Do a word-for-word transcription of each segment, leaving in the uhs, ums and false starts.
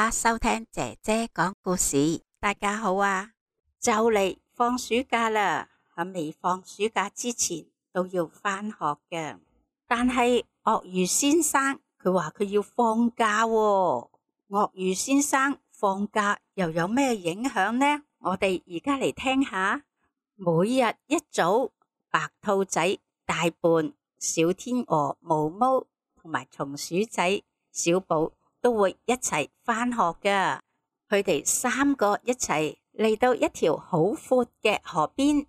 家收聽姐姐講故事。大家好啊，就嚟放暑假啦，喺未放暑假之前都要返學嘅。但係鱷魚先生佢話佢要放假喎。鱷魚先生放假又有咩影響呢？我哋而家嚟聽下。每日一早，白兔仔、大笨、小天鵝、毛毛同埋松鼠仔、小寶都會一齊返學㗎。佢哋三個一齊嚟到一條好闊嘅河邊，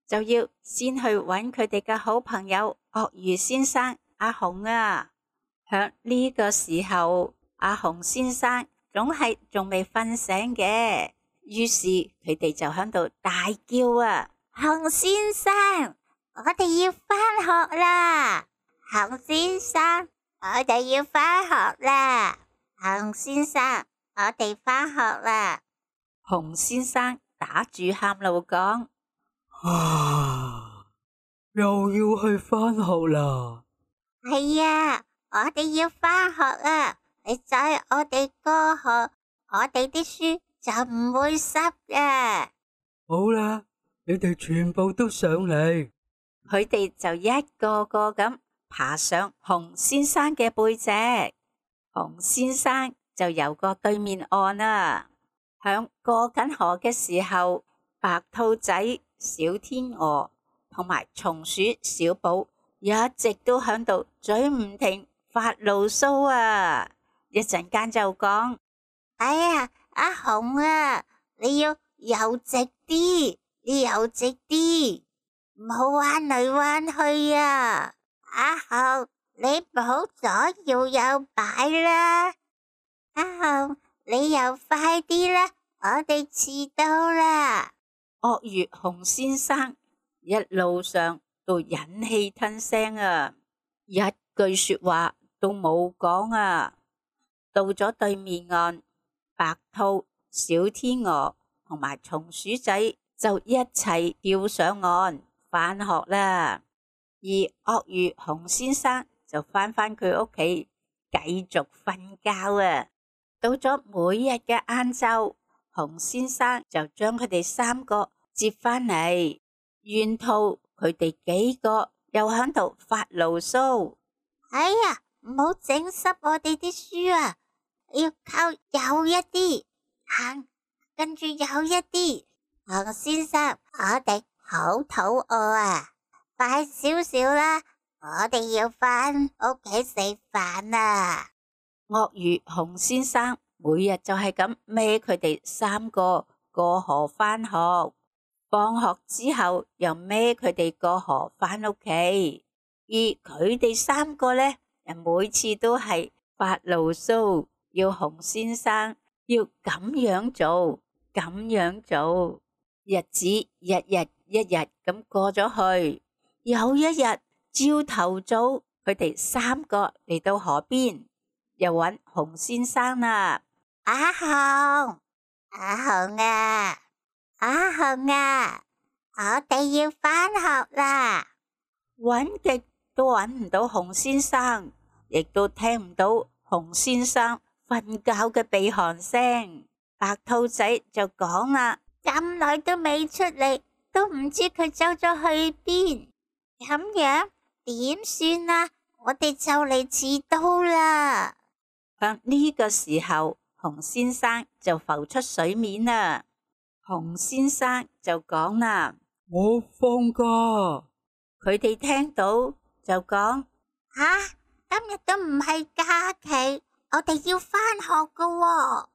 就要先去揾佢哋嘅好朋友鱷魚先生阿熊啊。響呢個時候，阿熊先生總係仲未瞓醒嘅，於是佢哋就響度大叫啊！熊先生，我哋要返學啦！熊先生，我哋要返學啦！熊先生，我哋返學啦！熊先生打住喊路講：啊，又要去返學啦！係啊，我哋要返學啦！你載我哋過河，我哋啲書就唔會濕嘅。好啦，你哋全部都上嚟。佢哋就一個個咁爬上熊先生嘅背脊，熊先生就游過對面岸啦。響過緊河嘅時候，白兔仔、小天鵝同埋松鼠小寶一直都響度嘴唔停發牢騷啊！一陣間就講：哎呀，阿熊啊，你要游直啲，你游直啲，唔好彎嚟彎去啊！阿熊，你唔好左搖右擺啦！阿熊，你又快啲啦，我哋遲到啦！鱷魚熊先生一路上都忍氣吞聲啊，一句說話都冇講啊。到咗對面岸，白兔、小天鵝同埋松鼠仔就一齊跳上岸返學啦。而鱷魚熊先生就返返佢屋企繼續瞓覺啊。到咗每日嘅晏晝，熊先生就將佢哋三個接返嚟，沿途佢哋幾個又喺度發牢騷。哎呀，唔好整濕我哋啲書啊！要靠有一啲行，跟住有一啲。熊先生，我哋好肚餓啊！快少少啦，我哋要返屋企食飯啊！鱷魚熊先生每日就係咁孭佢哋三個過河返學，放學之後又孭佢哋過河返屋企，而佢哋三個呢，每次都係發牢騷，要熊先生要咁樣做，咁樣做，日子日日一日咁過咗去。有一日朝頭早，佢哋三個嚟到河邊，又揾熊先生啦。阿熊，阿熊啊，阿熊啊，我哋要返學啦！揾極都揾唔到熊先生，亦都聽唔到熊先生瞓覺嘅鼻鼾聲。白兔仔就講啦：咁耐都未出嚟，都唔知佢走咗去邊。咁樣點算啊？我哋就嚟遲到啦！響呢個時候，熊先生就浮出水面啦。熊先生就講啦：我放假。佢哋聽到就講：吓，今日都唔係假期，我哋要返學噶喎。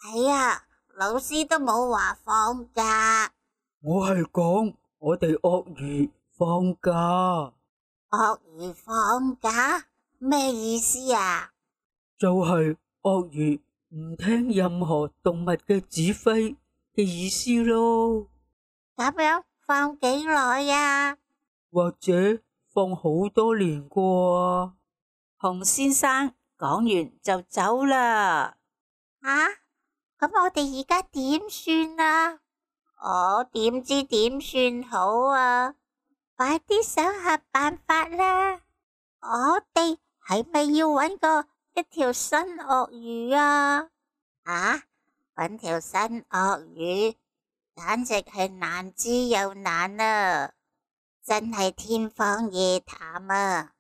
係啊，老師都冇話放假。我係講我哋鱷魚放假。鱷魚放假？咩意思啊？就係鱷魚唔聽任何動物嘅指揮嘅意思咯。咁樣放幾耐呀？或者放好多年啩？熊先生講完就走啦。吓，咁我哋而家點算啊？我點知點算好啊？快啲想下辦法啦！我哋係咪要搵個一條新鱷魚啊？啊，搵條新鱷魚，簡直係難之又難啊！真係天方夜譚啊！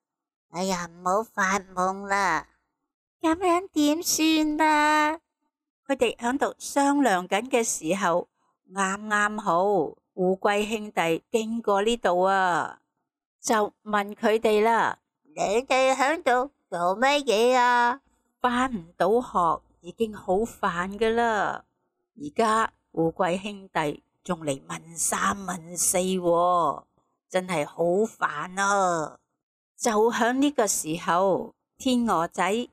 哎呀，唔好發夢啦！咁樣點算啊？佢哋喺度商量緊嘅時候，啱啱好烏龜兄弟經過呢度啊，就問佢哋啦：你哋喺度做乜嘢啊？返唔到學已經好煩噶啦，而家烏龜兄弟仲嚟問三問四喎，真係好煩啊！就響呢個時候，天鵝仔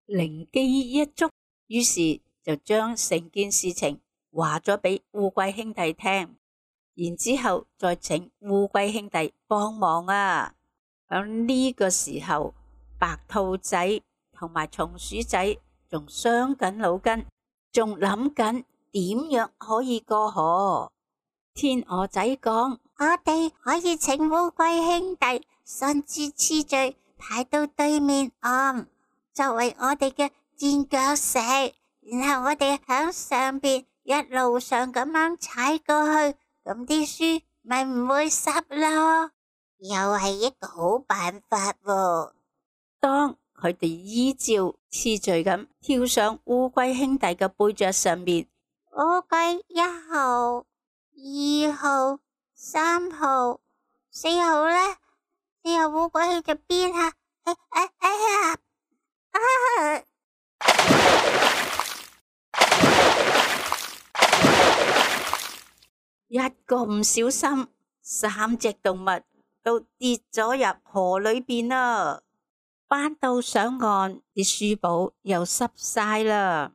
靈機一觸，於是就將成件事情話咗俾烏龜兄弟聽，然之後再請烏龜兄弟幫忙啊！響呢個時候，白兔仔同埋松鼠仔仲傷緊腦筋，仲諗緊點樣可以過河。天鵝仔講：我哋可以請烏龜兄弟順住次序排到對面岸，作為我哋嘅墊腳石，然後我哋響上邊一路上咁樣踩過去，咁啲書咪唔會濕咯。又係一個好辦法喎。當佢哋依照次序咁跳上烏龜兄弟嘅背脊上面，烏龜一號、二號、三號、四號呢？四號烏龜去咗邊啊？哎哎哎呀！啊！一個唔小心，三隻動物都跌咗入河裏邊啦。返到上岸，啲書簿又濕晒啦。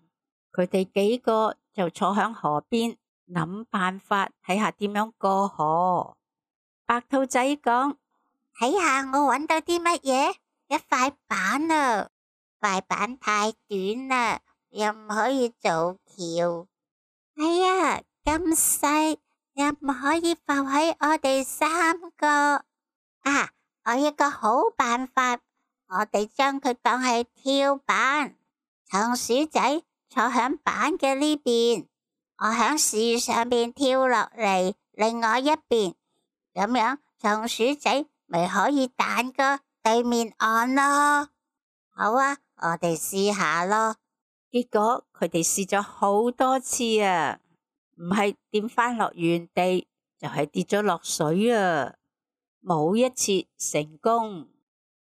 佢哋幾個就坐響河邊諗辦法，睇下點樣過河。白兔仔講：睇下我搵到啲乜嘢？一塊板啊！塊板太短啦，又唔可以做橋。哎呀，咁細又唔可以浮喺我哋三個。啊，我有一個好辦法，我哋將佢當係跳板。松鼠仔坐響板嘅呢邊，我響樹上邊跳落嚟另外一邊，咁樣松鼠仔咪可以彈過對面岸咯。好啊，我哋試下咯。結果佢哋試咗好多次啊，唔係跌返落原地，就係跌咗落水啊，冇一次成功。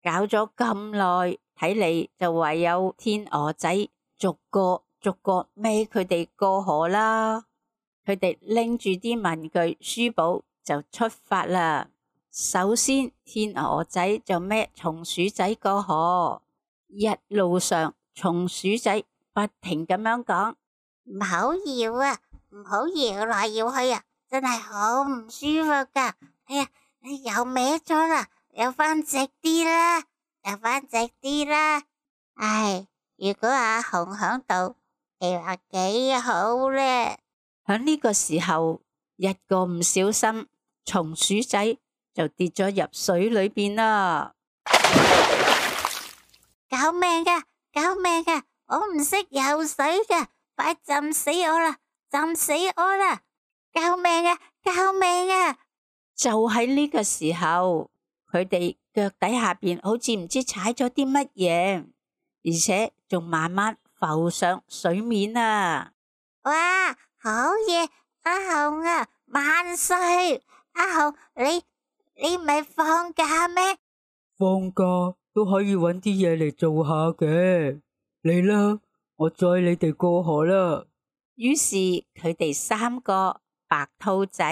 搞咗咁耐，睇嚟就唯有天鵝仔逐個逐個孭佢哋過河啦。佢哋拎住啲文具書簿就出發啦。首先，天鵝仔就孭松鼠仔過河。一路上，松鼠仔不停咁樣講：唔好搖啊，唔好搖來搖去啊，真係好唔舒服噶。哎呀，你又歪咗啦，又翻直啲啦，又翻直啲啦。唉，如果阿紅響度，你話幾好呢？喺呢個時候，一個唔小心，松鼠仔就跌咗入水裏邊啦。救命噶！救命噶！我唔識游水噶，快浸死我啦！浸死我啦！救命啊！救命啊！就喺呢個時候，佢哋腳底下邊好似唔知踩咗啲乜嘢，而且仲慢慢浮上水面啊！哇，好嘢！阿紅啊，萬歲！阿紅，你你唔係放假咩？放假都可以搵啲嘢嚟做下嘅。嚟啦，我載你哋過河啦。於是佢哋三個白兔仔、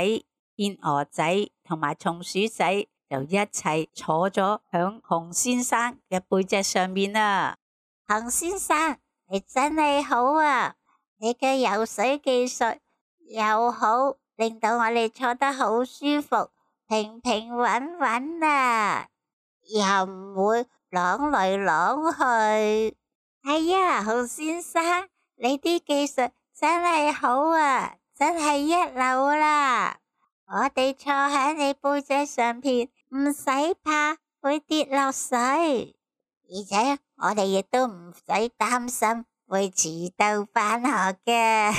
天鵝仔同埋松鼠仔就一齊坐咗響熊先生嘅背脊上面啦。熊先生，你真係好啊！你嘅游水技術又好，令到我哋坐得好舒服，平平穩穩啊，又唔會啷嚟啷去。係啊，熊先生，你啲技術真係好啊，真係一流啦！我哋坐喺你背脊上邊，唔使怕會跌落水，而且我哋亦都唔使擔心會遲到返學嘅。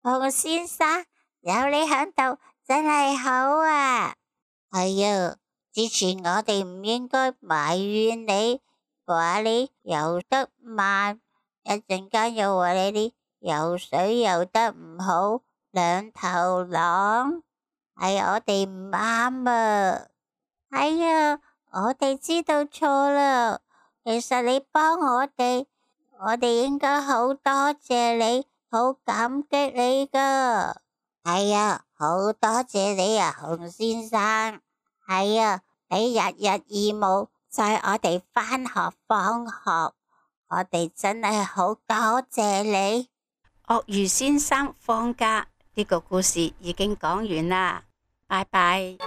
熊先生，有你喺度真係好啊！係啊，之前我哋唔應該埋怨你，話你游得慢，一陣間又話你啲游水游得唔好，兩頭狼，係我哋唔啱啊！係啊，我哋知道錯啦。其實你幫我哋，我哋應該好多謝你，好感激你噶。係啊，好多謝你啊，熊先生。係啊，你日日義務載我哋返學放學，我哋真係好多謝你。鱷魚先生放假呢個故事已經講完啦，拜拜。